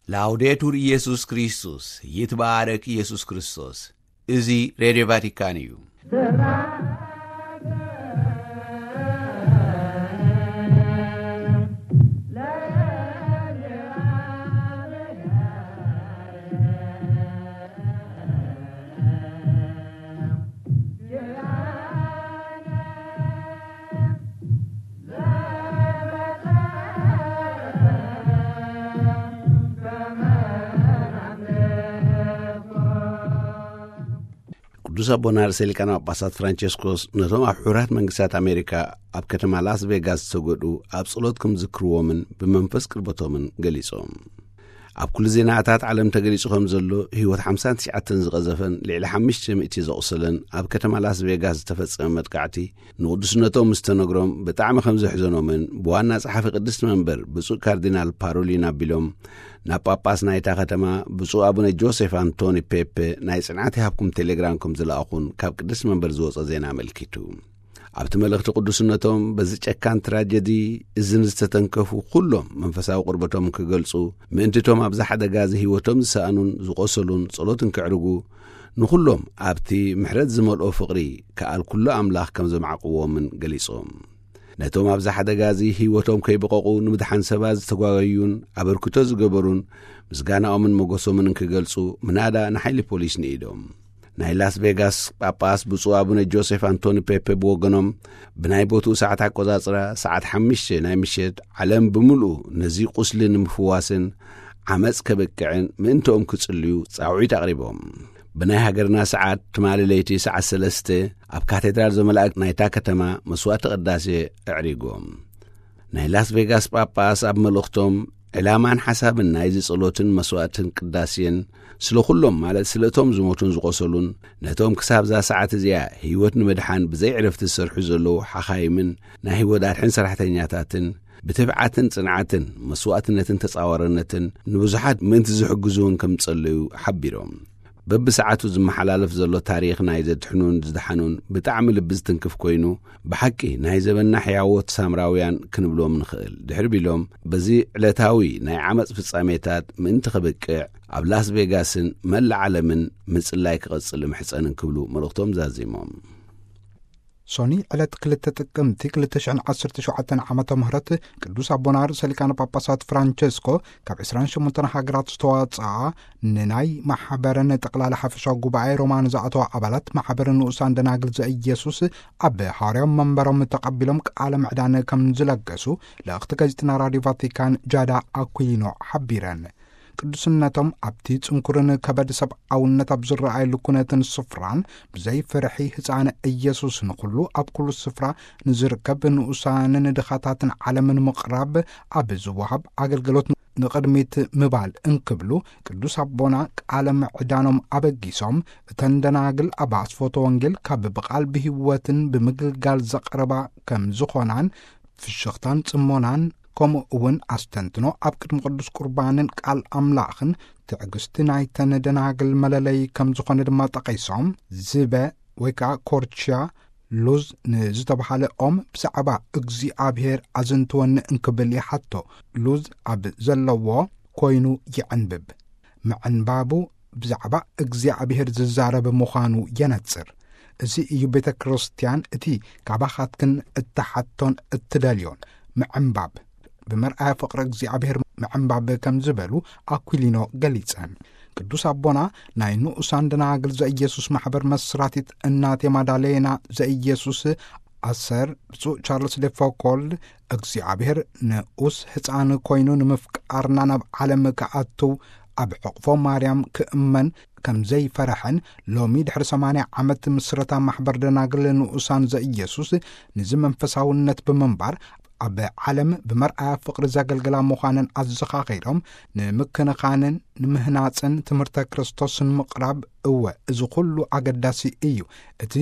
ላውዴቱር ኢየሱስ ክርስቶስ፣ ይትባረክ ኢየሱስ ክርስቶስ። እዚ ሬድዮ ቫቲካን እዩ። ቅዱስ ኣቦና ርእሰ ሊቃነ ጳጳሳት ፍራንቸስኮስ ነቶም ኣብ ሕቡራት መንግስታት ኣሜሪካ ኣብ ከተማ ላስ ቬጋስ ዝተጎድኡ ኣብ ጸሎት ከም ዝክርዎምን ብመንፈስ ቅርበቶምን ገሊጾም። ኣብ ኩሉ ዜናታት ዓለም ተገሊጹ ከም ዘሎ፣ ህይወት ሓምሳን ትሽዓተን ዝቐዘፈን ልዕሊ ሓሙሽተ ሚእቲ ዘቑሰለን ኣብ ከተማ ላስ ቬጋስ ዝተፈጸመ መጥቃዕቲ ንቕዱስነቶም ምስ ተነግሮም ብጣዕሚ ከም ዘሕዘኖምን ብዋና ጸሓፊ ቅድስቲ መንበር ብፁዕ ካርዲናል ፓሮሊን ኣቢሎም ናብ ጳጳስ ናይታ ከተማ ብፁዕ ኣቡነ ጆሴፍ ኣንቶኒ ፔፔ ናይ ጽንዓት ይሃብኩም ቴሌግራም ከም ዝለኣኹን ካብ ቅድስቲ መንበር ዝወጸ ዜና ኣመልኪቱ። ኣብቲ መልእኽቲ ቅዱስነቶም በዚ ጨካን ትራጀዲ እዝን ዝተተንከፉ ኩሎም መንፈሳዊ ቅርበቶም ክገልጹ፣ ምእንቲቶም ኣብዚ ሓደጋ እዚ ህይወቶም ዝሰኣኑን ዝቖሰሉን ጸሎት እንክዕርጉ፣ ንኹሎም ኣብቲ ምሕረት ዝመልኦ ፍቕሪ ከኣል ኩሉ ኣምላኽ ከም ዘማዕቅዎምን ገሊጾም። ነቶም ኣብዚ ሓደጋ እዚ ህይወቶም ከይበቐቑ ንምድሓን ሰባት ዝተጓገዩን ኣበርክቶ ዝገበሩን ምስጋናኦምን መጎሶምን እንክገልጹ ምናዳ ንሓይሊ ፖሊስ ንኢዶም። ናይ ላስ ቬጋስ ጳጳስ ብፁዕ ኣቡነ ጆሴፍ ኣንቶኒ ፔፔ ብወገኖም፣ ብናይ ቦትኡ ሰዓት ኣቆጻጽራ ሰዓት ሓሙሽተ ናይ ምሸት ዓለም ብምልኡ ነዚ ቁስሊ ንምፍዋስን ዓመጽ ከብቅዕን ምእንትኦም ክጽልዩ ጻውዒት ኣቕሪቦም። ብናይ ሃገርና ሰዓት ትማሊ ለይቲ ሰዓት ሰለስተ ኣብ ካቴድራል ዘመላእክ ናይታ ከተማ መስዋዕቲ ቅዳሴ ኣዕሪጎም። ናይ ላስ ቬጋስ ጳጳስ ኣብ መልእኽቶም፣ ዕላማን ሓሳብን ናይዚ ጸሎትን መስዋዕትን ቅዳሴን ስለ ኩሎም፣ ማለት ስለ እቶም ዝሞቱን ዝቖሰሉን፣ ነቶም ክሳብዛ ሰዓት እዚኣ ህይወት ንምድሓን ብዘይ ዕረፍቲ ዝሰርሑ ዘለዉ ሓኻይምን ናይ ህይወት ኣድሕን ሰራሕተኛታትን ብትብዓትን ጽንዓትን መስዋዕትነትን ተጻዋርነትን ንብዙሓት ምእንቲ ዝሕግዙ እውን ከም ዝጸለዩ ሓቢሮም። በብሰዓቱ ዝመሓላለፍ ዘሎ ታሪኽ ናይ ዘድሕኑን ዝደሓኑን ብጣዕሚ ልቢ ዝትንክፍ ኮይኑ፣ ብሓቂ ናይ ዘበንና ሕያዎት ሳምራውያን ክንብሎም ንኽእል። ድሕሪ ቢሎም፣ በዚ ዕለታዊ ናይ ዓመጽ ፍጻሜታት ምእንቲ ክብቅዕ፣ ኣብ ላስ ቬጋስን መላእ ዓለምን ምጽላይ ክቐጽል እምሕጸን እንክብሉ መልእኽቶም ዛዚሞም። ሶኒ ዕለት ክልተ ጥቅምቲ ክልተ ሽሕን ዓሰርተ ሸውዓተን ዓመተ ምህረት ቅዱስ ኣቦና ርእሰ ሊቃነ ጳጳሳት ፍራንቸስኮ ካብ ዕስራን ሸሞንተን ሃገራት ዝተዋጽኣ ንናይ ማሕበረን ጠቕላላ ሓፈሻዊ ጉባኤ ሮማ ንዝኣተዋ ኣባላት ማሕበረ ንኡሳን ደናግል ዘኢየሱስ ኣብ ሃዋርያዊ መንበሮም ተቐቢሎም ቃለ ምዕዳን ከም ዝለገሱ ልእኽቲ ጋዜጠና ራድዮ ቫቲካን ጃዳ ኣኩሊኖ ሓቢረን። ቅዱስነቶም ኣብቲ ጽንኩርን ከበድ ሰብኣውነት ኣብ ዝረኣየሉ ኩነትን ስፍራን ብዘይ ፍርሒ ህፃን ኢየሱስ ንኹሉ ኣብ ኩሉ ስፍራ ንዝርከብ ንኡሳንን ድኻታትን ዓለምን ምቕራብ ኣብ ዝወሃብ ኣገልግሎት ንቕድሚት ምባል እንክብሉ ቅዱስ ኣቦና ቃለ ምዕዳኖም ኣበጊሶም፣ እተን ደናግል ኣብ ኣስፎቶ ወንጌል ካብ ብቓል ብህይወትን ብምግልጋል ዘቕርባ ከም ዝኾናን ፍሽኽታን ጽሞናን ከምኡ እውን ኣስተንትኖ ኣብ ቅድሚ ቅዱስ ቁርባንን ቃል ኣምላኽን ትዕግስቲ ናይተን ደናግል መለለዪ ከም ዝኾነ ድማ ጠቒሶም፣ ዝበ ወይ ከዓ ኮርችያ ሉዝ ንዝተባሃለ ኦም ብዛዕባ እግዚኣብሔር ኣዝንትወኒ እንክብል ይሓቶ። ሉዝ ኣብ ዘለዎ ኮይኑ ይዕንብብ። ምዕንባቡ ብዛዕባ እግዚኣብሔር ዝዛረብ ምዃኑ የነጽር። እዚ እዩ ቤተ ክርስቲያን እቲ ካባኻትክን እትሓቶን እትደልዮን፣ ምዕንባብ። ብመርኣያ ፍቕሪ እግዚኣብሔር ምዕንባብ ከም ዝበሉ ኣኩሊኖ ገሊጸን። ቅዱስ ኣቦና ናይ ንኡሳን ደናግል ዘኢየሱስ ማሕበር መስራቲት እናቴ ማዳሌና ዘኢየሱስ ኣሰር ብፁዕ ቻርልስ ዴፎኮልድ እግዚኣብሔር ንኡስ ህፃን ኮይኑ ንምፍቃርና ናብ ዓለም ክኣትው ኣብ ሕቕፎ ማርያም ክእመን ከም ዘይፈረሐን ሎሚ ድሕሪ ሰማንያ ዓመት ምስረታ ማሕበር ደናግል ንኡሳን ዘኢየሱስ ንዚ መንፈሳውነት ብምንባር ኣብ ዓለም ብመርኣያ ፍቕሪ ዘገልግላ ምዃነን ኣዘኻኺሮም፣ ንምክንኻንን ንምህናፅን ትምህርተ ክርስቶስን ምቕራብ፣ እወ፣ እዚ ኩሉ ኣገዳሲ እዩ። እቲ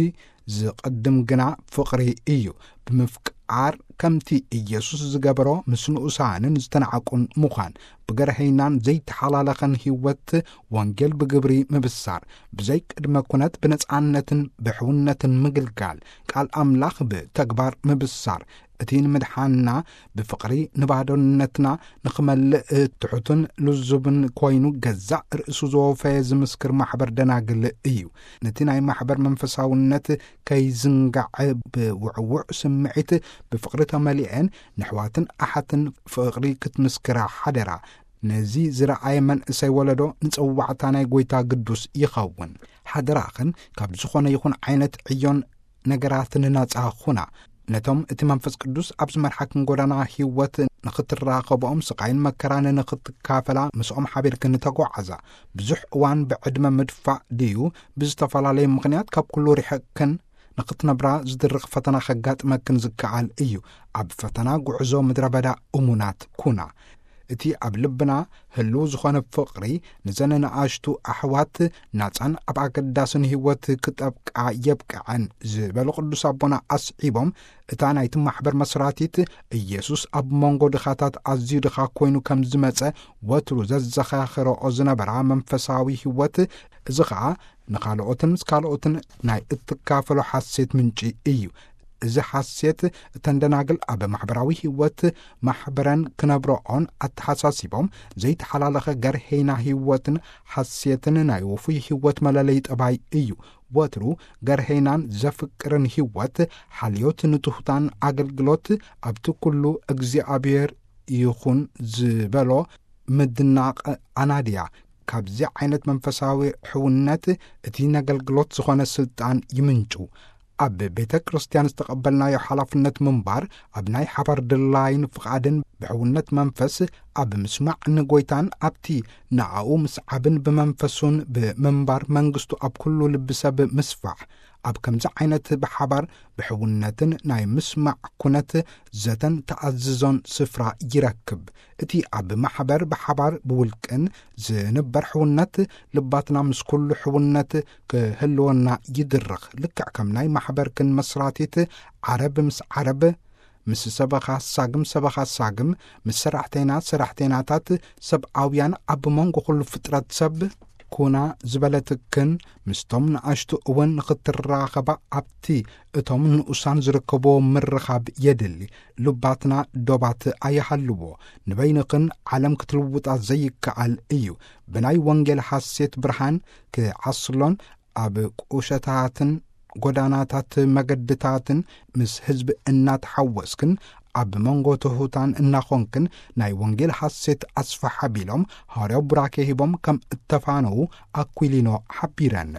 ዝቕድም ግና ፍቕሪ እዩ። ብምፍቃር ከምቲ ኢየሱስ ዝገበሮ ምስ ንኡሳንን ዝተናዕቁን ምዃን፣ ብገርሀይናን ዘይተሓላለኸን ህይወት ወንጌል ብግብሪ ምብሳር፣ ብዘይ ቅድመ ኩነት ብነጻነትን ብሕውነትን ምግልጋል፣ ቃል ኣምላኽ ብተግባር ምብሳር፣ እቲ ንምድሓንና ብፍቕሪ ንባዶነትና ንኽመልእ ትሑትን ልዙብን ኮይኑ ገዛእ ርእሱ ዘወፈየ ዝምስክር ማሕበር ደናግል እዩ። ነቲ ናይ ማሕበር መንፈሳውነት ከይዝንጋዕ ብውዕውዕ ስምዒት ብፍቕሪ ተመሊኤን ንሕዋትን ኣሓትን ፍቕሪ ክትምስክራ ሓደራ። ነዚ ዝረኣየ መንእሰይ ወለዶ ንጸዋዕታ ናይ ጎይታ ግዱስ ይኸውን። ሓደራኽን ካብ ዝኾነ ይኹን ዓይነት ዕዮን ነገራትን ናጻ ኹና። ነቶም እቲ መንፈስ ቅዱስ ኣብ ዝመርሓክን ጎዳና ህይወት ንኽትራኸብኦም፣ ስቓይን መከራን ንኽትካፈላ ምስኦም ሓቢርክን ተጓዓዛ። ብዙሕ እዋን ብዕድመ ምድፋእ ድዩ ብዝተፈላለየ ምኽንያት ካብ ኩሉ ርሒቕክን ንኽትነብራ ዝድርኽ ፈተና ከጋጥመክን ዝከኣል እዩ። ኣብ ፈተና ጉዕዞ ምድረ በዳ እሙናት ኩና። እቲ ኣብ ልብና ህልው ዝኾነ ፍቕሪ ንዘን ንኣሽቱ ኣሕዋት ናጻን ኣብ ኣገዳስን ህይወት ክጠብቃ የብቅዐን ዝበሉ ቅዱስ ኣቦና ኣስዒቦም፣ እታ ናይቲ ማሕበር መስራቲት ኢየሱስ ኣብ መንጎ ድኻታት ኣዝዩ ድኻ ኮይኑ ከም ዝመጸ ወትሩ ዘዘኻኽረኦ ዝነበራ መንፈሳዊ ህይወት፣ እዚ ኸኣ ንኻልኦትን ምስ ካልኦትን ናይ እትካፈሎ ሓሴት ምንጪ እዩ። እዚ ሓሴት እተን ደናግል ኣብ ማሕበራዊ ህይወት ማሕበረን ክነብረኦን ኣተሓሳሲቦም፣ ዘይተሓላለኸ ገርሄና ህይወትን ሓሴትን ናይ ውፉይ ህይወት መለለይ ጠባይ እዩ። ወትሩ ገርሄናን ዘፍቅርን ህይወት፣ ሓልዮት ንትሑታን ኣገልግሎት ኣብቲ ኩሉ እግዚኣብሔር ይኹን ዝበሎ ምድናቕ ኣናድያ። ካብዚ ዓይነት መንፈሳዊ ሕውነት እቲ ነገልግሎት ዝኾነ ስልጣን ይምንጩ። ኣብ ቤተ ክርስቲያን ዝተቐበልናዮ ሓላፍነት ምንባር ኣብ ናይ ሓባር ድላይን ፍቓድን ብሕውነት መንፈስ ኣብ ምስማዕ ንጎይታን ኣብቲ ንኣኡ ምስዓብን ብመንፈሱን ብምንባር መንግስቱ ኣብ ኩሉ ልቢ ሰብ ምስፋሕ። ኣብ ከምዚ ዓይነት ብሓባር ብሕውነትን ናይ ምስማዕ ኩነት ዘተን ተኣዝዞን ስፍራ ይረክብ። እቲ ኣብ ማሕበር ብሓባር ብውልቅን ዝንበር ሕውነት ልባትና ምስ ኩሉ ሕውነት ክህልወና ይድርኽ። ልክዕ ከም ናይ ማሕበርክን መስራቲት ዓረብ ምስ ዓረብ፣ ምስ ሰበኻ ሳግም ሰበኻ ሳግም፣ ምስ ሰራሕተይና ሰራሕተይናታት ሰብኣውያን ኣብ መንጎ ኩሉ ፍጥረት ሰብ ኩና ዝበለትክን ምስቶም ንኣሽቱ እውን ንኽትራኸባ ኣብቲ እቶም ንኡሳን ዝርከብዎ ምርኻብ የድሊ። ልባትና ዶባት ኣይሃልዎ። ንበይንኽን ዓለም ክትልውጣ ዘይከኣል እዩ። ብናይ ወንጌል ሓሴት ብርሃን ክዓስሎን ኣብ ቁሸታትን ጎዳናታት መገድታትን ምስ ህዝቢ እናተሓወስክን ኣብ መንጎ ትሑታን እናኾንክን ናይ ወንጌል ሓሴት ኣስፋሕ ኣቢሎም ሃዋርያዊ ቡራኬ ሂቦም ከም እተፋነዉ ኣኩሊኖ ሓቢረን።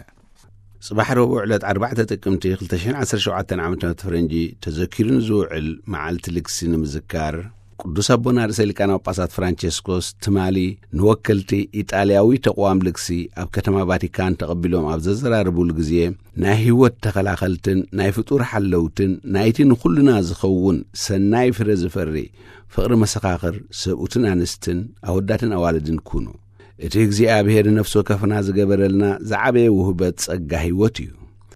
ጽባሕ ረቡዕ ዕለት ኣርባዕተ ጥቅምቲ ክልተ ሽሕን ዓሰርተ ሸውዓተን ዓመተ ምህረት ፈረንጂ ተዘኪሩ ንዝውዕል መዓልቲ ልግሲ ንምዝካር፣ ቅዱስ ኣቦና ርእሰ ሊቃነ ጳጳሳት ፍራንቸስኮስ ትማሊ ንወከልቲ ኢጣልያዊ ተቕዋም ልግሲ ኣብ ከተማ ቫቲካን ተቐቢሎም ኣብ ዘዘራረቡሉ ግዜ፣ ናይ ህይወት ተኸላኸልትን ናይ ፍጡር ሓለውትን ናይቲ ንኹልና ዝኸውን ሰናይ ፍረ ዝፈሪ ፍቕሪ መሰኻኽር ሰብኡትን ኣንስትን ኣወዳትን ኣዋልድን ኩኑ። እቲ እግዚኣብሔር ነፍሲ ወከፍና ዝገበረልና ዝዓበየ ውህበት ጸጋ ህይወት እዩ።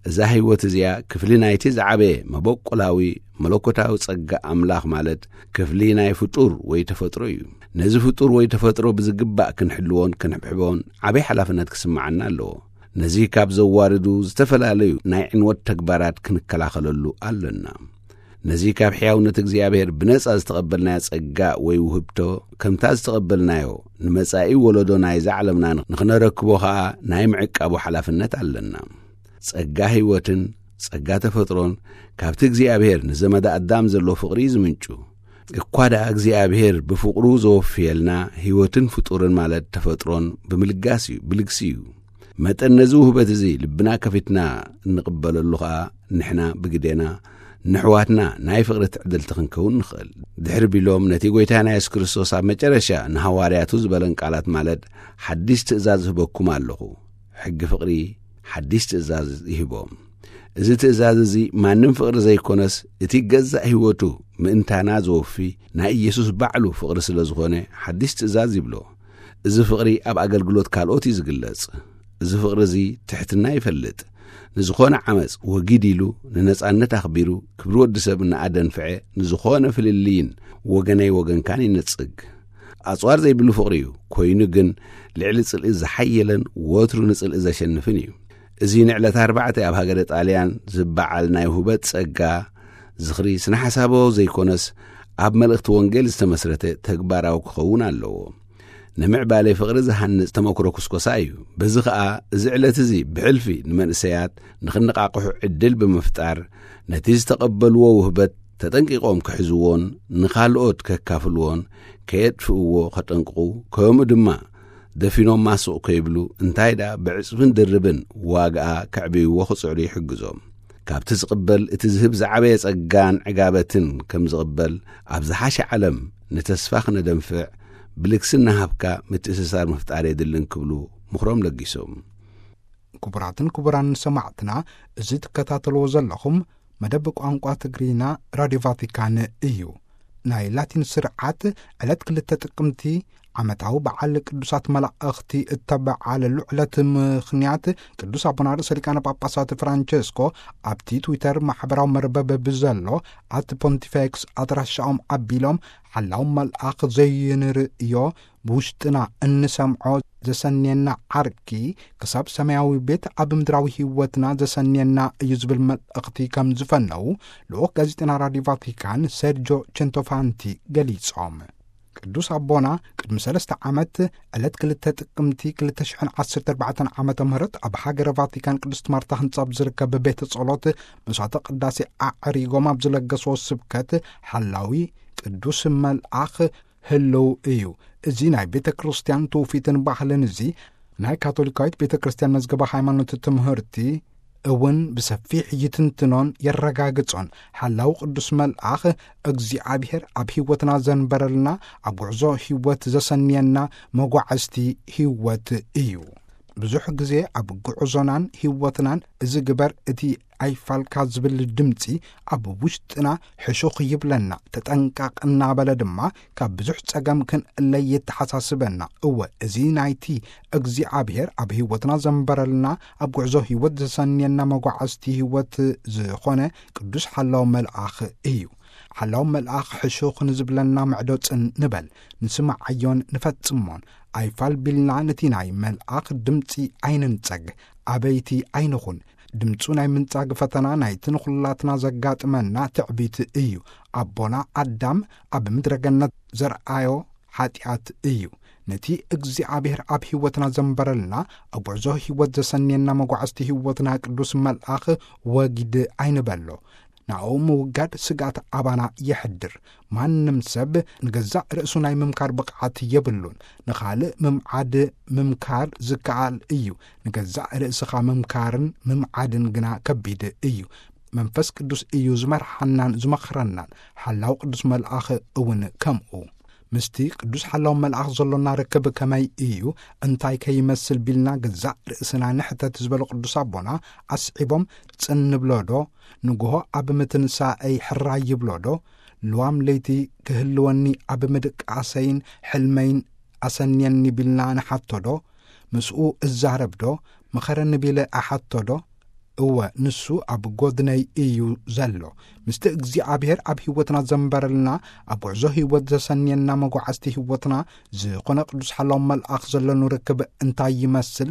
እዛ ህይወት እዚኣ ክፍሊ ናይቲ ዝዓበየ መበቆላዊ መለኮታዊ ጸጋ ኣምላኽ፣ ማለት ክፍሊ ናይ ፍጡር ወይ ተፈጥሮ እዩ። ነዚ ፍጡር ወይ ተፈጥሮ ብዝግባእ ክንሕልዎን ክንሕብሕቦን ዓበይ ሓላፍነት ክስምዓና ኣለዎ። ነዚ ካብ ዘዋርዱ ዝተፈላለዩ ናይ ዕንወት ተግባራት ክንከላኸለሉ ኣለና። ነዚ ካብ ሕያውነት እግዚኣብሔር ብነጻ ዝተቐበልናዮ ጸጋ ወይ ውህብቶ፣ ከምታ ዝተቐበልናዮ ንመጻኢ ወለዶ ናይዛ ዓለምና ንኽነረክቦ ኸኣ ናይ ምዕቃቡ ሓላፍነት ኣለና። ጸጋ ህይወትን ጸጋ ተፈጥሮን ካብቲ እግዚኣብሔር ንዘመደ ኣዳም ዘሎ ፍቕሪ እዩ ዝምንጩ። እኳ ደኣ እግዚኣብሔር ብፍቕሩ ዘወፍየልና ህይወትን ፍጡርን ማለት ተፈጥሮን ብምልጋስ እዩ፣ ብልግሲ እዩ። መጠን ነዚ ውህበት እዚ ልብና ከፊትና እንቕበለሉ ኸኣ፣ ንሕና ብግዴና ንሕዋትና ናይ ፍቕሪ ትዕድልቲ ክንከውን ንኽእል። ድሕሪ ቢሎም ነቲ ጐይታና የሱስ ክርስቶስ ኣብ መጨረሻ ንሃዋርያቱ ዝበለን ቃላት፣ ማለት ሓድሽ ትእዛዝ እህበኩም ኣለኹ፣ ሕጊ ፍቕሪ፣ ሓድሽ ትእዛዝ ይህቦም። እዚ ትእዛዝ እዚ ማንም ፍቕሪ ዘይኮነስ፣ እቲ ገዛእ ህይወቱ ምእንታና ዘወፊ ናይ ኢየሱስ ባዕሉ ፍቕሪ ስለ ዝኾነ፣ ሓድሽ ትእዛዝ ይብሎ። እዚ ፍቕሪ ኣብ ኣገልግሎት ካልኦት እዩ ዝግለጽ። እዚ ፍቕሪ እዚ ትሕትና ይፈልጥ። ንዝኾነ ዓመጽ ወጊድ ኢሉ፣ ንነጻነት ኣኽቢሩ፣ ክብሪ ወዲ ሰብ እናኣደንፍዐ፣ ንዝኾነ ፍልልይን ወገነይ ወገንካን ይነጽግ። ኣጽዋር ዘይብሉ ፍቕሪ እዩ። ኮይኑ ግን፣ ልዕሊ ጽልኢ ዝሓየለን ወትሩ ንጽልኢ ዘሸንፍን እዩ። እዚ ንዕለት ኣርባዕተ ኣብ ሃገረ ጣልያን ዝበዓል ናይ ውህበት ጸጋ ዝኽሪ ስነ ሓሳባዊ ዘይኮነስ፣ ኣብ መልእኽቲ ወንጌል ዝተመስረተ ተግባራዊ ክኸውን ኣለዎ። ንምዕባለ ፍቕሪ ዝሃንጽ ተመክሮ ኩስኮሳ እዩ። በዚ ኸኣ፣ እዚ ዕለት እዚ ብሕልፊ ንመንእሰያት ንኽነቓቕሑ ዕድል ብምፍጣር፣ ነቲ ዝተቐበልዎ ውህበት ተጠንቂቖም ክሕዝዎን ንኻልኦት ከካፍልዎን ከየጥፍእዎ ከጠንቅቑ፣ ከምኡ ድማ ደፊኖማ ስቕ ከይብሉ፣ እንታይ ደኣ ብዕጽፍን ድርብን ዋጋኣ ከዕብይዎ ክጽዕሩ ይሕግዞም። ካብቲ ዝቕበል እቲ ዝህብ ዝዓበየ ጸጋን ዕጋበትን ከም ዝቕበል፣ ኣብ ዝሓሸ ዓለም ንተስፋ ክነደንፍዕ ብልግስና ሃብካ ምትእስሳር ምፍጣር የድልን ክብሉ ምኽሮም ለጊሶም። ክቡራትን ክቡራን ሰማዕትና፣ እዚ ትከታተልዎ ዘለኹም መደብ ቋንቋ ትግርኛ ራድዮ ቫቲካን እዩ። ናይ ላቲን ስርዓት ዕለት ክልተ ጥቅምቲ ዓመታዊ በዓል ቅዱሳት መላእኽቲ እተበዓለሉ ዕለት ምኽንያት፣ ቅዱስ ኣቦና ርእሰ ሊቃነ ጳጳሳት ፍራንቸስኮ ኣብቲ ትዊተር ማሕበራዊ መርበብ ብዘሎ ኣት ፖንቲፌክስ ኣድራሻኦም ኣቢሎም፣ ሓላው መልኣኽ ዘይንርእዮ፣ ብውሽጥና እንሰምዖ ዘሰንየና ዓርኪ ክሳብ ሰማያዊ ቤት ኣብ ምድራዊ ህይወትና ዘሰንየና እዩ ዝብል መልእኽቲ ከም ዝፈነዉ ልኡኽ ጋዜጠና ራድዮ ቫቲካን ሰርጆ ቸንቶፋንቲ ገሊጾም። ቅዱስ ኣቦና ቅድሚ ሰለስተ ዓመት ዕለት ክልተ ጥቅምቲ ክልተ ሽሕን ዓሰርተ ኣርባዕተን ዓመተ ምህረት ኣብ ሃገረ ቫቲካን ቅድስት ማርታ ህንጻ ኣብ ዝርከብ ቤተ ጸሎት መስዋዕተ ቅዳሴ ኣዕሪጎም ኣብ ዝለገስዎ ስብከት፣ ሓላዊ ቅዱስ መልኣኽ ህልው እዩ። እዚ ናይ ቤተ ክርስቲያን ትውፊትን ባህልን እዚ ናይ ካቶሊካዊት ቤተ ክርስቲያን መዝገበ ሃይማኖት ትምህርቲ እውን ብሰፊሕ ይትንትኖን የረጋግጾን። ሓላው ቅዱስ መልኣኽ እግዚኣብሔር ኣብ ህይወትና ዘንበረልና፣ ኣብ ጉዕዞ ህይወት ዘሰንየና መጓዕዝቲ ህይወት እዩ። ብዙሕ ግዜ ኣብ ጉዕዞናን ህይወትናን እዚ ግበር እቲ ኣይፋልካ ዝብል ድምጺ ኣብ ውሽጥና ሕሹኽ ይብለና፣ ተጠንቀቕ እናበለ ድማ ካብ ብዙሕ ጸገም ክንእለይ የተሓሳስበና። እወ፣ እዚ ናይቲ እግዚኣብሔር ኣብ ህይወትና ዘንበረልና፣ ኣብ ጉዕዞ ህይወት ዘሰንየና መጓዕዝቲ ህይወት ዝኾነ ቅዱስ ሓላው መልኣኽ እዩ። ሓላው መልኣኽ ሕሹኽ ንዝብለና ምዕዶ ጽን ንበል፣ ንስምዓዮን ንፈጽሞን። ኣይፋል ቢልና ነቲ ናይ መልኣኽ ድምጺ ኣይንንጸግ፣ ኣበይቲ ኣይንኹን። ድምጹ ናይ ምንጻግ ፈተና ናይቲ ንኹላትና ዘጋጥመና ትዕቢት እዩ። ኣቦና ኣዳም ኣብ ምድረ ገነት ዘርኣዮ ሓጢኣት እዩ። ነቲ እግዚኣብሔር ኣብ ህይወትና ዘንበረልና፣ ኣብ ጉዕዞ ህይወት ዘሰንየና መጓዕዝቲ ህይወትና ቅዱስ መልኣኽ ወጊድ ኣይንበሎ። ናኡ ምውጋድ ስግኣት ኣባና የሕድር። ማንም ሰብ ንገዛእ ርእሱ ናይ ምምካር ብቕዓት የብሉን። ንኻልእ ምምዓድ ምምካር ዝከኣል እዩ። ንገዛእ ርእስኻ ምምካርን ምምዓድን ግና ከቢድ እዩ። መንፈስ ቅዱስ እዩ ዝመርሓናን ዝመኽረናን። ሓላው ቅዱስ መልኣኽ እውን ከምኡ። ምስቲ ቅዱስ ሓላው መልኣኽ ዘሎና ርክብ ከመይ እዩ? እንታይ ከይመስል ቢልና ገዛእ ርእስና ንሕተት ዝበሉ ቅዱስ ኣቦና፣ ኣስዒቦም ጽን ንብሎ ዶ? ንግሆ ኣብ ምትንሳኤይ ሕራይ ይብሎ ዶ? ልዋም ለይቲ ክህልወኒ ኣብ ምድቃሰይን ሕልመይን ኣሰንየኒ ቢልና ንሓቶ ዶ? ምስኡ እዛረብ ዶ? ምኸረኒ ቢለ እሓቶ ዶ? እወ፣ ንሱ ኣብ ጎድነይ እዩ ዘሎ። ምስቲ እግዚኣብሔር ኣብ ህይወትና ዘንበረልና፣ ኣብ ጉዕዞ ህይወት ዘሰንየና መጓዕዝቲ ህይወትና ዝኾነ ቅዱስ ሓላው መልኣኽ ዘለኑ ርክብ እንታይ ይመስል?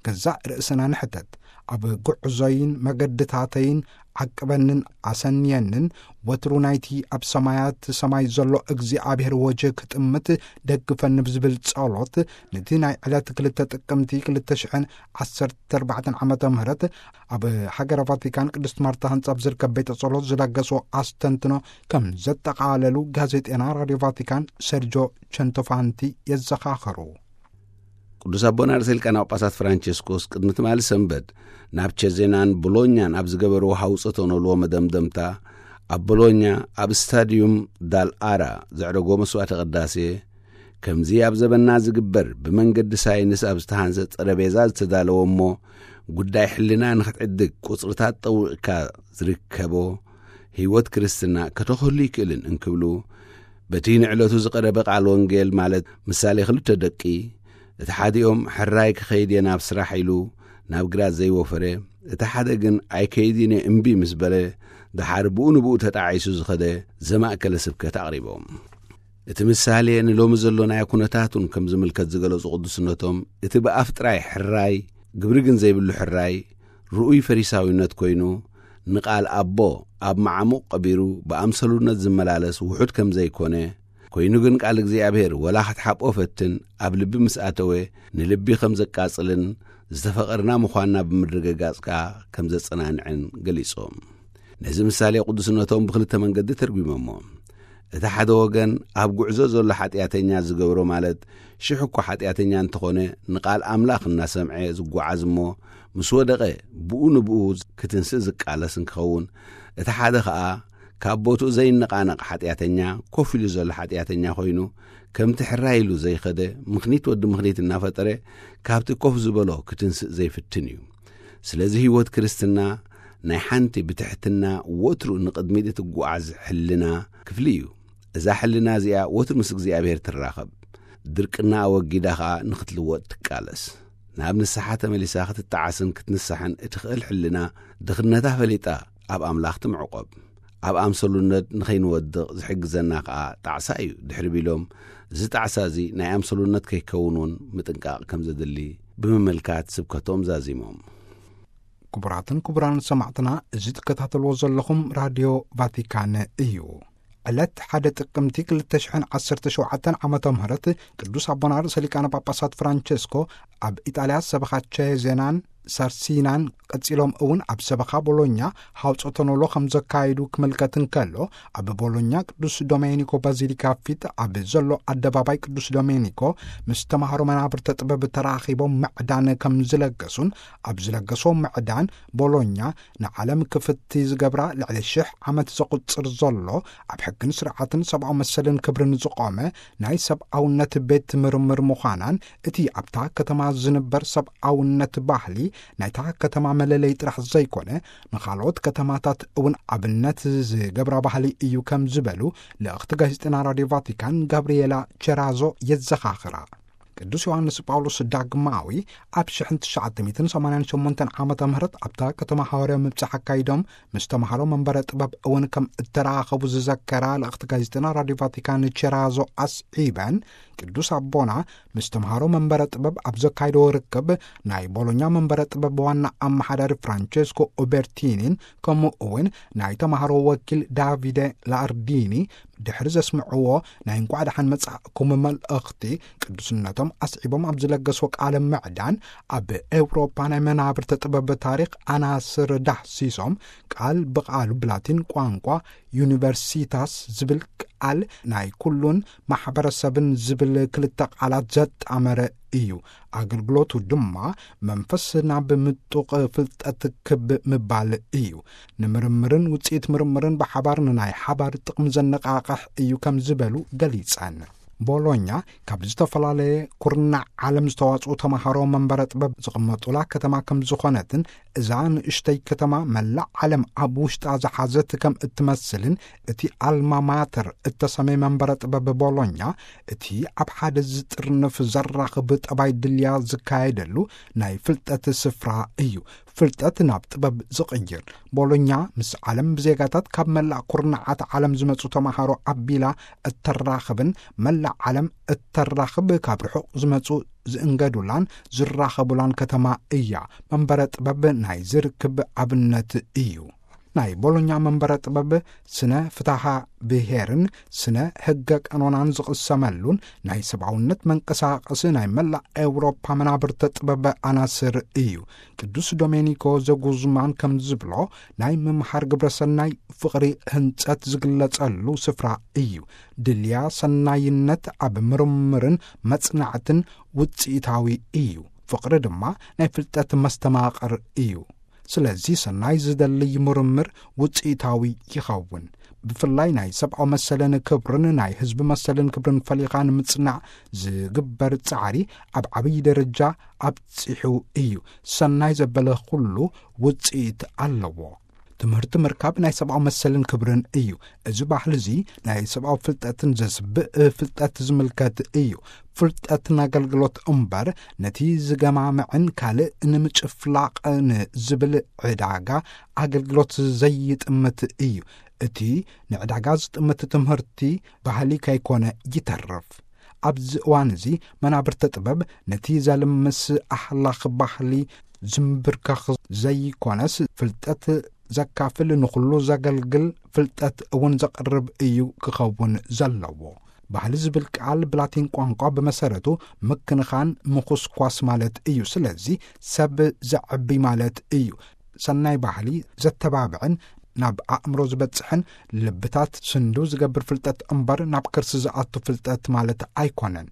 ገዛእ ርእስና ንሕተት። ኣብ ጉዕዞይን መገድታተይን ዓቅበንን ኣሰንየንን፣ ወትሩ ናይቲ ኣብ ሰማያት ሰማይ ዘሎ እግዚኣብሔር ወጀ ክጥምት ደግፈኒ ብዝብል ጸሎት፣ ነቲ ናይ ዕለት ክልተ ጥቅምቲ ክልተ ሽሕን ዓሰርተ ኣርባዕተን ዓመተ ምህረት ኣብ ሃገረ ቫቲካን ቅድስት ማርታ ህንጻ ኣብ ዝርከብ ቤተ ጸሎት ዝለገሶ ኣስተንትኖ ከም ዘጠቓለሉ ጋዜጤና ራድዮ ቫቲካን ሰርጆ ቸንቶፋንቲ የዘኻኸሩ። ቅዱስ ኣቦና ርእሰ ሊቃነ ጳጳሳት ፍራንቸስኮስ ቅድሚ ትማሊ ሰንበት ናብ ቸዜናን ቦሎኛን ኣብ ዝገበርዎ ሃውጸቶ ነልዎ መደምደምታ፣ ኣብ ቦሎኛ ኣብ ስታድዩም ዳል ኣራ ዘዕረጎ መስዋዕተ ቅዳሴ፣ ከምዚ ኣብ ዘበና ዝግበር ብመንገዲ ሳይንስ ኣብ ዝተሃንጸ ጠረቤዛ ዝተዳለወ እሞ፣ ጉዳይ ሕልና ንኽትዕድግ ቁጽርታት ጠዊቕካ ዝርከቦ ህይወት ክርስትና ከተኽህሉ ይክእልን እንክብሉ፣ በቲ ንዕለቱ ዝቐረበ ቃል ወንጌል፣ ማለት ምሳሌ ክልተ ደቂ፣ እቲ ሓዲኦም ሕራይ ክኸይድ እየ ናብ ስራሕ ኢሉ ናብ ግራት ዘይወፈረ፣ እቲ ሓደ ግን ኣይከይድን እየ እምቢ ምስ በለ፣ ደሓር ብኡ ንብኡ ተጣዒሱ ዝኸደ ዘማእከለ ስብከት ኣቕሪቦም። እቲ ምሳሌ ንሎሚ ዘሎናዮ ኩነታት እውን ከም ዝምልከት ዝገለጹ ቅዱስነቶም፣ እቲ ብኣፍ ጥራይ ሕራይ፣ ግብሪ ግን ዘይብሉ ሕራይ፣ ርኡይ ፈሪሳዊነት ኮይኑ፣ ንቓል ኣቦ ኣብ መዓሙቕ ቀቢሩ ብኣምሰሉነት ዝመላለስ ውሑድ ከም ዘይኮነ፣ ኮይኑ ግን ቃል እግዚኣብሔር ወላ ክትሓብኦ ፈትን ኣብ ልቢ ምስ ኣተወ ንልቢ ከም ዘቃጽልን ዝተፈቐርና ምዃንና ብምርግጋጽ ከኣ ከም ዘጸናንዕን ገሊጾም። ነዚ ምሳሌ ቅዱስነቶም ብኽልተ መንገዲ ተርጒሞሞ። እቲ ሓደ ወገን ኣብ ጉዕዞ ዘሎ ሓጢኣተኛ ዝገብሮ ማለት ሽሕ እኳ ሓጢኣተኛ እንተኾነ ንቓል ኣምላኽ እናሰምዐ ዝጓዓዝ እሞ ምስ ወደቐ ብኡ ንብኡ ክትንስእ ዝቃለስ እንክኸውን፣ እቲ ሓደ ኸኣ ካብ ቦትኡ ዘይነቓነቕ ሓጢኣተኛ ኮፍ ኢሉ ዘሎ ሓጢኣተኛ ኮይኑ ከምቲ ሕራይ ኢሉ ዘይኸደ ምኽኒት ወዲ ምኽኒት እናፈጠረ ካብቲ ኮፍ ዝበሎ ክትንስእ ዘይፍትን እዩ። ስለዚ ህይወት ክርስትና ናይ ሓንቲ ብትሕትና ወትሩ ንቕድሚት እትጓዓዝ ሕልና ክፍሊ እዩ። እዛ ሕልና እዚኣ ወትሩ ምስ እግዚኣብሔር ትራኸብ። ድርቅና ኣወጊዳ ኸኣ ንኽትልወጥ ትቃለስ። ናብ ንስሓ ተመሊሳ ክትጠዓስን ክትንስሕን እትኽእል ሕልና ድኽነታ ፈሊጣ ኣብ ኣምላኽ ትምዕቆብ። ኣብ ኣምሰሉነት ንኸይንወድቕ ዝሕግዘና ከኣ ጣዕሳ እዩ። ድሕሪ ቢሎም እዚ ጣዕሳ እዚ ናይ ኣምሰሉነት ከይከውን እውን ምጥንቃቕ ከም ዘድሊ ብምምልካት ስብከቶም ዛዚሞም። ክቡራትን ክቡራን ሰማዕትና፣ እዚ ትከታተልዎ ዘለኹም ራድዮ ቫቲካን እዩ። ዕለት ሓደ ጥቅምቲ ክልተ ሽሕን ዓሰርተ ሸውዓተን ዓመተ ምህረት ቅዱስ ኣቦና ርእሰ ሊቃነ ጳጳሳት ፍራንቸስኮ ኣብ ኢጣልያ ሰበኻ ቼዜናን ሳርሲናን ቀጺሎም እውን ኣብ ሰበኻ ቦሎኛ ሃውጾ ተኖሎ ከም ዘካየዱ ክምልከት እንከሎ፣ ኣብ ቦሎኛ ቅዱስ ዶሜኒኮ ባዚሊካ ፊት ኣብ ዘሎ ኣደባባይ ቅዱስ ዶሜኒኮ ምስ ተማሃሮ መናብርተ ጥበብ ተራኺቦም ምዕዳን ከም ዝለገሱን፣ ኣብ ዝለገሶ ምዕዳን ቦሎኛ ንዓለም ክፍቲ ዝገብራ ልዕሊ ሽሕ ዓመት ዘቑጽር ዘሎ ኣብ ሕግን ስርዓትን ሰብኣዊ መሰልን ክብርን ዝቖመ ናይ ሰብኣውነት ቤት ምርምር ምዃናን፣ እቲ ኣብታ ከተማ ዝንበር ሰብኣውነት ባህሊ ናይታ ከተማ መለለይ ጥራሕ ዘይኮነ፣ ንኻልኦት ከተማታት እውን ኣብነት ዝገብራ ባህሊ እዩ ከም ዝበሉ ልእኽቲ ጋዜጠና ራድዮ ቫቲካን ጋብርኤላ ቸራዞ የዘኻኽራ። ቅዱስ ዮሃንስ ጳውሎስ ዳግማዊ ኣብ ሽሕን ትሽዓተ ሚእትን ሰማንያን ሸሞንተን ዓመተ ምህረት ኣብታ ከተማ ሃዋርያዊ ምብጻሕ ኣካይዶም ምስ ተማሃሮ መንበረ ጥበብ እውን ከም እተራኸቡ ዝዘከራ ልእኽቲ ጋዜጠና ራድዮ ቫቲካን ቸራዞ ኣስዒበን፣ ቅዱስ ኣቦና ምስ ተምሃሮ መንበረ ጥበብ ኣብ ዘካየድዎ ርክብ፣ ናይ ቦሎኛ መንበረ ጥበብ ዋና ኣመሓዳሪ ፍራንቸስኮ ኡበርቲኒን ከምኡ እውን ናይ ተምሃሮ ወኪል ዳቪደ ላርዲኒ ድሕሪ ዘስምዕዎ ናይ እንቋዕ ደሓን መጻእኩም መልእኽቲ፣ ቅዱስነቶም ኣስዒቦም ኣብ ዝለገስዎ ቃለ ምዕዳን፣ ኣብ ኤውሮፓ ናይ መናብርተ ጥበብ ታሪኽ ኣናስር ዳህሲሶም፣ ቃል ብቓሉ ብላቲን ቋንቋ ዩኒቨርሲታስ ዝብል ቃል ናይ ኩሉን ማሕበረሰብን ዝብል ክልተ ቃላት ዘጣመረ እዩ። ኣገልግሎቱ ድማ መንፈስ ናብ ምጡቕ ፍልጠት ክብ ምባል እዩ። ንምርምርን ውጽኢት ምርምርን ብሓባር ንናይ ሓባር ጥቕሚ ዘነቓቕሕ እዩ ከም ዝበሉ ገሊጸን። ቦሎኛ ካብ ዝተፈላለየ ኩርናዕ ዓለም ዝተዋጽኡ ተምሃሮ መንበረ ጥበብ ዝቕመጡላ ከተማ ከም ዝኾነትን፣ እዛ ንእሽተይ ከተማ መላእ ዓለም ኣብ ውሽጣ ዝሓዘት ከም እትመስልን፣ እቲ ኣልማ ማተር እተሰመየ መንበረ ጥበብ ቦሎኛ፣ እቲ ኣብ ሓደ ዝጥርንፍ ዘራኽብ ጠባይ ድልያ ዝካየደሉ ናይ ፍልጠት ስፍራ እዩ። ፍልጠት ናብ ጥበብ ዝቕይር። ቦሎኛ ምስ ዓለም ብዜጋታት ካብ መላእ ኩርናዓት ዓለም ዝመጹ ተማሃሮ ኣቢላ እተራኽብን፣ መላእ ዓለም እተራኽብ፣ ካብ ርሑቕ ዝመጹ ዝእንገዱላን ዝራኸቡላን ከተማ እያ። መንበረ ጥበብ ናይ ዝርክብ ኣብነት እዩ። ናይ ቦሎኛ መንበረ ጥበብ ስነ ፍትሓ ብሄርን ስነ ሕገ ቀኖናን ዝቕሰመሉን ናይ ሰብኣውነት መንቀሳቐሲ ናይ መላእ ኤውሮፓ መናብርተ ጥበብ ኣናስር እዩ። ቅዱስ ዶሜኒኮ ዘጉዝማን ከም ዝብሎ፣ ናይ ምምሃር ግብረ ሰናይ ፍቕሪ ህንጸት ዝግለጸሉ ስፍራ እዩ። ድልያ ሰናይነት ኣብ ምርምርን መጽናዕትን ውጽኢታዊ እዩ። ፍቕሪ ድማ ናይ ፍልጠት መስተማቕር እዩ። ስለዚ ሰናይ ዝደልይ ምርምር ውጽኢታዊ ይኸውን። ብፍላይ ናይ ሰብኣዊ መሰልን ክብርን ናይ ህዝቢ መሰልን ክብርን ፈሊኻ ንምጽናዕ ዝግበር ጻዕሪ ኣብ ዓብዪ ደረጃ ኣብጺሑ እዩ። ሰናይ ዘበለ ኩሉ ውጽኢት ኣለዎ። ትምህርቲ ምርካብ ናይ ሰብኣዊ መሰልን ክብርን እዩ። እዚ ባህሊ እዚ ናይ ሰብኣዊ ፍልጠትን ዘስብእ ፍልጠት ዝምልከት እዩ። ፍልጠት ንኣገልግሎት እምበር፣ ነቲ ዝገማምዕን ካልእ ንምጭፍላቕ ንዝብል ዕዳጋ ኣገልግሎት ዘይጥምት እዩ። እቲ ንዕዳጋ ዝጥምት ትምህርቲ ባህሊ ከይኮነ ይተርፍ። ኣብዚ እዋን እዚ መናብርተ ጥበብ ነቲ ዘልምስ ኣህላኽ ባህሊ ዝምብርከኽ ዘይኮነስ፣ ፍልጠት ዘካፍል፣ ንኹሉ ዘገልግል ፍልጠት እውን ዘቕርብ እዩ ክኸውን ዘለዎ። ባህሊ ዝብል ቃል ብላቲን ቋንቋ ብመሰረቱ ምክንኻን፣ ምኹስኳስ ማለት እዩ። ስለዚ ሰብ ዘዕቢ ማለት እዩ። ሰናይ ባህሊ ዘተባብዕን ናብ ኣእምሮ ዝበጽሕን ልብታት ስንዱ ዝገብር ፍልጠት እምበር ናብ ከርሲ ዝኣቱ ፍልጠት ማለት ኣይኮነን።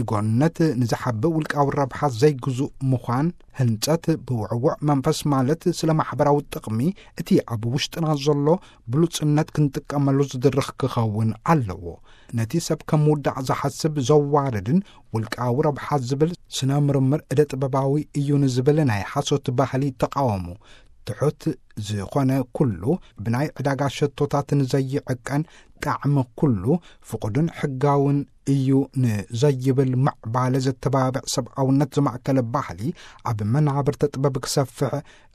ኢጎነት ንዝሓብእ ውልቃዊ ረብሓ ዘይግዙእ ምዃን፣ ህንጸት ብውዕውዕ መንፈስ ማለት ስለ ማሕበራዊ ጥቕሚ፣ እቲ ኣብ ውሽጥና ዘሎ ብሉጽነት ክንጥቀመሉ ዝድርኽ ክኸውን ኣለዎ። ነቲ ሰብ ከም ውዳቕ ዝሓስብ፣ ዘዋርድን ውልቃዊ ረብሓ ዝብል ስነ ምርምር እደ ጥበባዊ እዩ ንዝብል ናይ ሓሶት ባህሊ ተቃወሙ። ትሑት ዝኾነ ኩሉ፣ ብናይ ዕዳጋ ሸቶታት ንዘይዕቀን ጣዕሚ ኩሉ፣ ፍቑድን ሕጋውን እዩ ንዘይብል ምዕባለ ዘተባብዕ ሰብኣውነት ዝማእከለ ባህሊ ኣብ መናብርተ ጥበብ ክሰፍሕ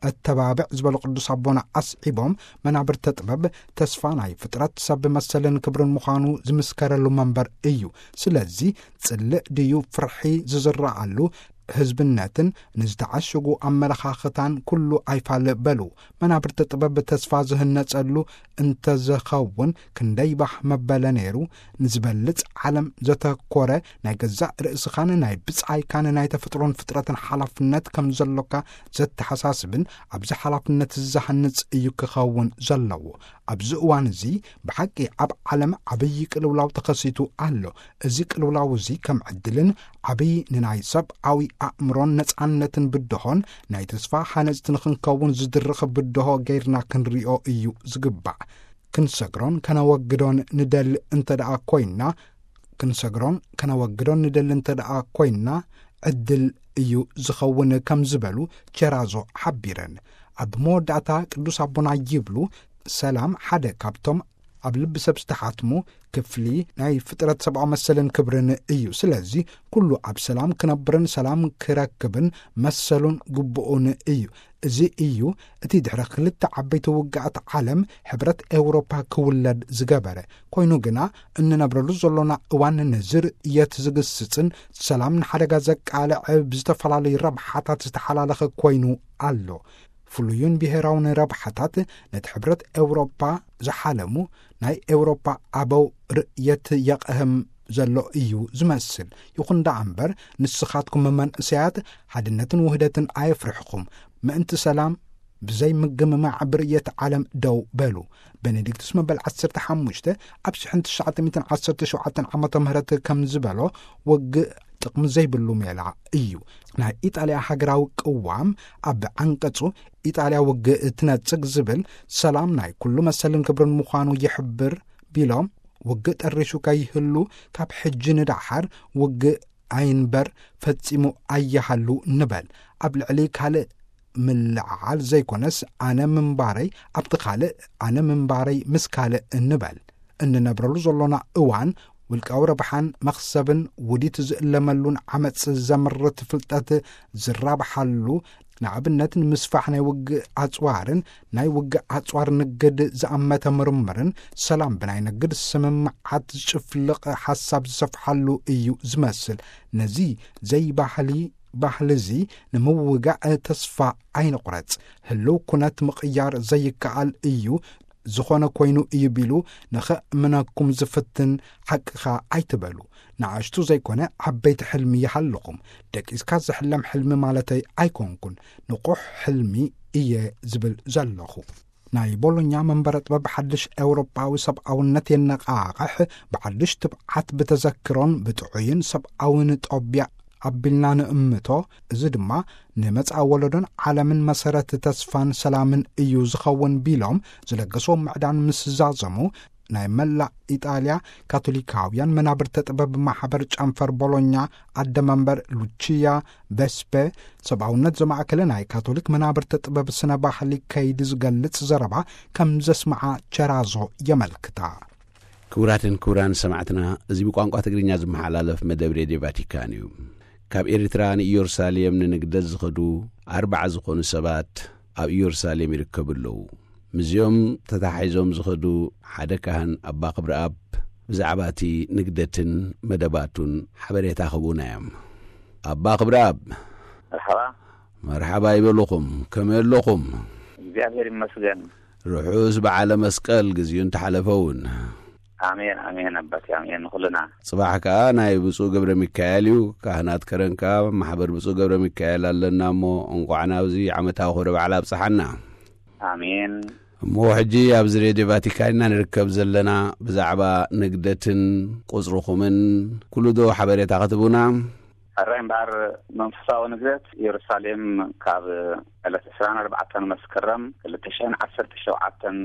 እተባብዕ ዝበሉ ቅዱስ ኣቦና ኣስዒቦም፣ መናብርተ ጥበብ ተስፋ ናይ ፍጥረት ሰብ መሰልን ክብርን ምዃኑ ዝምስከረሉ መንበር እዩ። ስለዚ ጽልእ ድዩ ፍርሒ ዝዝረኣሉ፣ ህዝብነትን ንዝተዓሸጉ ኣመለኻኽታን ኩሉ ኣይፋል በሉ። መናብርተ ጥበብ ተስፋ ዝህነጸሉ እንተዘኸውን ክንደይ ባህ መበለ ነይሩ። ንዝበልጽ ዓለም ዘተኮረ፣ ናይ ገዛእ ርእስኻን ናይ ብጻይካን ናይ ተፈጥሮን ፍጥረትን ሓላፍነት ከም ዘሎካ ዘተሓሳስብን ኣብዚ ሓላፍነት ዝሃንጽ እዩ ክኸውን ዘለዎ። ኣብዚ እዋን እዚ ብሓቂ ኣብ ዓለም ዓብዪ ቅልውላው ተኸሲቱ ኣሎ። እዚ ቅልውላው እዚ ከም ዕድልን ዓብዪ ንናይ ሰብኣዊ ኣእምሮን ነጻነትን ብድሆን ናይ ተስፋ ሃነጽቲ ንኽንከውን ዝድርኽ ብድሆ ገይርና ክንሪኦ እዩ ዝግባእ። ክንሰግሮን ከነወግዶን ንደሊ እንተ ደኣ ኮይንና፣ ክንሰግሮን ከነወግዶን ንደሊ እንተ ደኣ ኮይንና፣ ዕድል እዩ ዝኸውን ከም ዝበሉ ቸራዞ ሓቢረን። ኣብ መወዳእታ ቅዱስ ኣቦና ይብሉ፣ ሰላም ሓደ ካብቶም ኣብ ልቢ ሰብ ዝተሓትሙ ክፍሊ ናይ ፍጥረት ሰብኣዊ መሰልን ክብርን እዩ። ስለዚ ኩሉ ኣብ ሰላም ክነብርን ሰላም ክረክብን መሰሉን ግቡኡን እዩ። እዚ እዩ እቲ ድሕሪ ክልተ ዓበይቲ ውግኣት ዓለም ሕብረት ኤውሮፓ ክውለድ ዝገበረ። ኮይኑ ግና እንነብረሉ ዘሎና እዋን ነዚ ርእየት ዝግስጽን ሰላም ንሓደጋ ዘቃልዕ ብዝተፈላለዩ ረብሓታት ዝተሓላለኸ ኮይኑ ኣሎ። ፍሉዩን ብሄራውን ረብሓታት ነቲ ሕብረት ኤውሮፓ ዝሓለሙ ናይ ኤውሮፓ ኣበው ርእየት የቕህም ዘሎ እዩ ዝመስል። ይኹን ደኣ እምበር ንስኻትኩም መንእሰያት ሓድነትን ውህደትን ኣየፍርሕኹም። ምእንቲ ሰላም ብዘይ ምግምማዕ ብርእየት ዓለም ደው በሉ። ቤኔዲክቱስ መበል ዓሰርተ ሓሙሽተ ኣብ ሽሕን ትሽዓተ ሚእትን ዓሰርተ ሸውዓተን ዓመተ ምህረት ከም ዝበሎ፣ ውግእ ጥቕሚ ዘይብሉ ሜላ እዩ። ናይ ኢጣልያ ሃገራዊ ቅዋም ኣብ ዓንቀጹ ኢጣልያ ውግእ ትነጽግ ዝብል ሰላም ናይ ኩሉ መሰልን ክብርን ምዃኑ ይሕብር ቢሎም፣ ውግእ ጠሪሹ ከይህሉ ካብ ሕጂ ንደሓር ውግእ ኣይንበር ፈጺሙ ኣይሃሉ ንበል። ኣብ ልዕሊ ካልእ ምልዕዓል ዘይኮነስ ኣነ ምንባረይ ኣብቲ ካልእ፣ ኣነ ምንባረይ ምስ ካልእ ንበል። እንነብረሉ ዘሎና እዋን ውልቃዊ ረብሓን መኽሰብን ውዲት ዝእለመሉን ዓመጽ ዘምርት ፍልጠት ዝራብሓሉ፣ ንኣብነት ንምስፋሕ ናይ ውግእ ኣጽዋርን ናይ ውግእ ኣጽዋር ንግድ ዝኣመተ ምርምርን ሰላም ብናይ ንግድ ስምምዓት ዝጭፍልቕ ሓሳብ ዝሰፍሓሉ እዩ ዝመስል። ነዚ ዘይባህሊ ባህሊ እዚ ንምውጋእ ተስፋ ኣይንቑረጽ። ህልው ኩነት ምቕያር ዘይከኣል እዩ፣ ዝኾነ ኮይኑ እዩ ቢሉ ንኸእምነኩም ዝፍትን ሓቅኻ ኣይትበሉ። ንኣሽቱ ዘይኮነ ዓበይቲ ሕልሚ ይሃልኹም። ደቂስካ ዝሕለም ሕልሚ ማለተይ ኣይኮንኩን፣ ንቑሕ ሕልሚ እየ ዝብል ዘለኹ። ናይ ቦሎኛ መንበረ ጥበብ ሓድሽ ኤውሮጳዊ ሰብኣውነት የነቓቕሕ፣ ብሓድሽ ትብዓት ብተዘክሮን ብጥዑይን ሰብኣውን ጦቢያ ኣቢልና ንእምቶ። እዚ ድማ ንመጻኢ ወለዶን ዓለምን መሰረት ተስፋን ሰላምን እዩ ዝኸውን ቢሎም ዝለገስዎ ምዕዳን ምስ ዛዘሙ፣ ናይ መላእ ኢጣልያ ካቶሊካውያን መናብርተ ጥበብ ማሕበር ጨንፈር ቦሎኛ ኣደ መንበር ሉቺያ ቬስፔ፣ ሰብኣውነት ዘማእከለ ናይ ካቶሊክ መናብርተ ጥበብ ስነ ባህሊ ከይዲ ዝገልጽ ዘረባ ከም ዘስምዓ ቸራዞ የመልክታ። ክቡራትን ክቡራን ሰማዕትና፣ እዚ ብቋንቋ ትግርኛ ዝመሓላለፍ መደብ ሬድዮ ቫቲካን እዩ። ካብ ኤርትራ ንኢየሩሳሌም ንንግደት ዝኸዱ ኣርባዓ ዝኾኑ ሰባት ኣብ ኢየሩሳሌም ይርከቡ ኣለዉ። ምስዚኦም ተታሒዞም ዝኸዱ ሓደ ካህን ኣባ ክብረኣብ ብዛዕባ እቲ ንግደትን መደባቱን ሓበሬታ ክህቡና እዮም። ኣባ ክብረኣብ፣ መርሓባ። መርሓባ ይበልኹም። ከመይ ኣለኹም? እግዚኣብሔር ይመስገን። ርሑስ በዓለ መስቀል፣ ግዜኡ እንተሓለፈ እውን። ኣሜን፣ ኣሜን ኣባቴ፣ ኣሜን ንኹልና። ጽባሕ ከኣ ናይ ብፁዕ ገብረ ሚካኤል እዩ። ካህናት ከረን ከኣ ማሕበር ብፁዕ ገብረ ሚካኤል ኣለና እሞ፣ እንቋዕ ናብዚ ዓመታዊ ክብረ በዓል ኣብጽሓና። ኣሜን። እሞ ሕጂ ኣብዚ ሬድዮ ቫቲካን ኢና ንርከብ ዘለና። ብዛዕባ ንግደትን ቁጽርኹምን ኩሉ ዶ ሓበሬታ ክትቡና? ሕራይ እምበኣር፣ መንፈሳዊ ንግደት ኢየሩሳሌም ካብ ዕለት ዕስራን ኣርባዕተን መስከረም ክልተ ሽሕን ዓሰርተ ሸውዓተን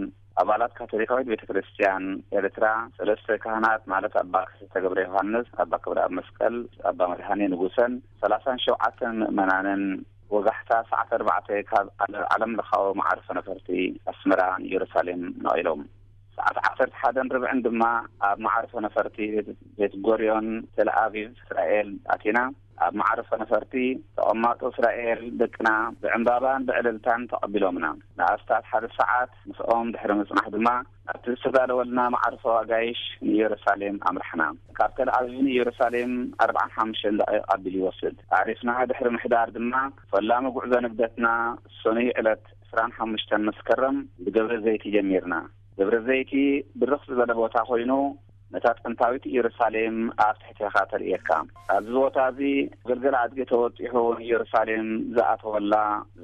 ኣባላት ካቶሊካዊት ቤተ ክርስቲያን ኤርትራ፣ ሰለስተ ካህናት ማለት ኣባ ክስተ ገብረ ዮሃንስ፣ ኣባ ክብረኣብ መስቀል፣ ኣባ መድሃኔ ንጉሰን ሰላሳን ሸውዓተን ምእመናንን ወጋሕታ ሰዓት ኣርባዕተ ካብ ዓለ-፣ ዓለም ለኻዊ መዓርፎ ነፈርቲ ኣስመራ ንኢየሩሳሌም ነቒሎም። ሰዓት ዓሰርተ ሓደን ርብዕን ድማ ኣብ መዓርፎ ነፈርቲ ቤት፣ ቤት ጎርዮን ተል ኣቪቭ እስራኤል ኣቲና። ኣብ መዓርፎ ነፈርቲ ተቐማጦ እስራኤል ደቅና ብዕምባባን ብዕልልታን ተቐቢሎምና። ንኣስታት ሓደ ሰዓት ምስኦም ድሕሪ ምጽናሕ ድማ ኣብቲ ዝተዳለወልና መዓርፎ ኣጋይሽ ንኢየሩሳሌም ኣምራሕና። ካብ ተል ኣቪቭ ንኢየሩሳሌም ኣርብዓን ሓሙሽተን ደቂቕ ኣቢሉ ይወስድ። ኣዕሪፍና ድሕሪ ምሕዳር ድማ ፈላሚ ጉዕዞ ንግደትና ሰኑይ ዕለት ዕስራን ሓሙሽተን መስከረም ብደብረ ዘይቲ ጀሚርና። ደብረ ዘይቲ ብርኽ ዝበለ ቦታ ኮይኑ፣ ነታ ጥንታዊት ኢየሩሳሌም ኣብ ትሕቴኻ ተርእየካ። ኣብዚ ቦታ እዚ ገልገል ኣድጊ ተወጢሑ ንኢየሩሳሌም ዝኣተወላ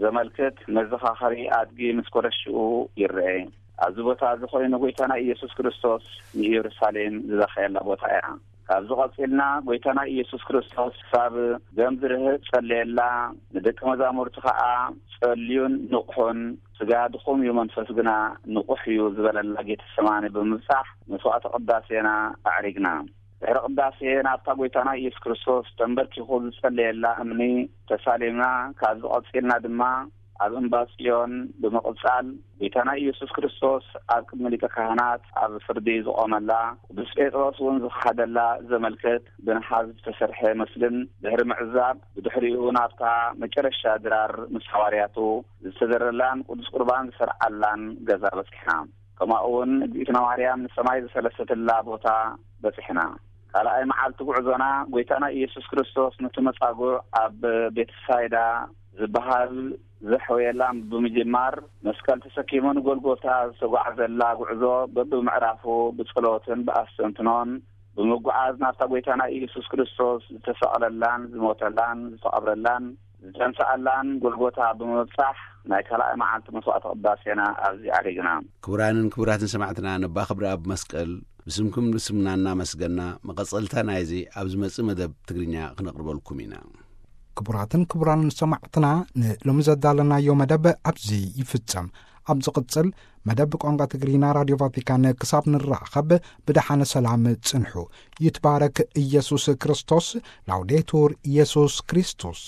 ዘመልክት መዘኻኸሪ ኣድጊ ምስ ኮረሽኡ ይረኤ። ኣብዚ ቦታ እዚ ኮይኑ ጎይታና ኢየሱስ ክርስቶስ ንኢየሩሳሌም ዝበኸየላ ቦታ እያ። ካብዚ ቀጺልና ጎይታና ኢየሱስ ክርስቶስ ክሳብ ደም ዝርህጥ ጸለየላ፣ ንደቂ መዛሙርቲ ከኣ ጸልዩን ንቕሑን፣ ስጋ ድኹም እዩ፣ መንፈስ ግና ንቑሕ እዩ ዝበለላ ጌተሰማኒ ብምብጻሕ መስዋዕተ ቅዳሴና ኣዕሪግና። ድሕሪ ቅዳሴ ናብታ ጎይታና ኢየሱስ ክርስቶስ ተንበርኪኹ ዝጸለየላ እምኒ ተሳሊምና። ካብዚ ቀጺልና ድማ ኣብ እምባ ጽዮን ብምቕጻል፣ ጎይታና ኢየሱስ ክርስቶስ ኣብ ቅድሚ ሊቀ ካህናት ኣብ ፍርዲ ዝቖመላ፣ ቅዱስ ጴጥሮስ እውን ዝኸሓደላ ዘመልክት ብነሓስ ዝተሰርሐ ምስልን ድሕሪ ምዕዛብ፣ ብድሕሪኡ ናብታ መጨረሻ ድራር ምስ ሃዋርያቱ ዝተዘረላን ቅዱስ ቁርባን ዝሰርዓላን ገዛ በጺሕና። ከምኡ እውን እግዝእትነ ማርያም ንሰማይ ዝፈለሰትላ ቦታ በጺሕና። ካልኣይ መዓልቲ ጉዕዞና፣ ጎይታና ኢየሱስ ክርስቶስ ነቲ መጻጉዕ ኣብ ቤትሳይዳ ዝበሃል ዘሕወየላ ብምጅማር፣ መስቀል ተሰኪሙ ንጎልጎታ ዝተጓዕዘላ ጉዕዞ በብምዕራፉ ብጸሎትን ብኣስተንትኖን ብምጉዓዝ፣ ናብታ ጎይታና ኢየሱስ ክርስቶስ ዝተሰቕለላን ዝሞተላን ዝተቐብረላን ዝተንስኣላን ጎልጎታ ብምብጻሕ፣ ናይ ካልኣይ መዓልቲ መስዋዕተ ቅዳሴና ኣብዚ ኣዕሪግና። ክቡራንን ክቡራትን ሰማዕትና፣ ነባ ክብረኣብ መስቀል ብስምኩም ብስምና እናመስገና፣ መቐጸልታ ናይዚ ኣብ ዝመጽእ መደብ ትግርኛ ክነቕርበልኩም ኢና። ክቡራትን ክቡራንን ሰማዕትና፣ ንሎሚ ዘዳለናዮ መደብ ኣብዚ ይፍጸም። ኣብ ዝቕጽል መደብ ቋንቋ ትግርኛ ራድዮ ቫቲካን ክሳብ ንራኸብ፣ ብደሓነ ሰላም ጽንሑ። ይትባረክ ኢየሱስ ክርስቶስ። ላውዴቱር ኢየሱስ ክርስቶስ።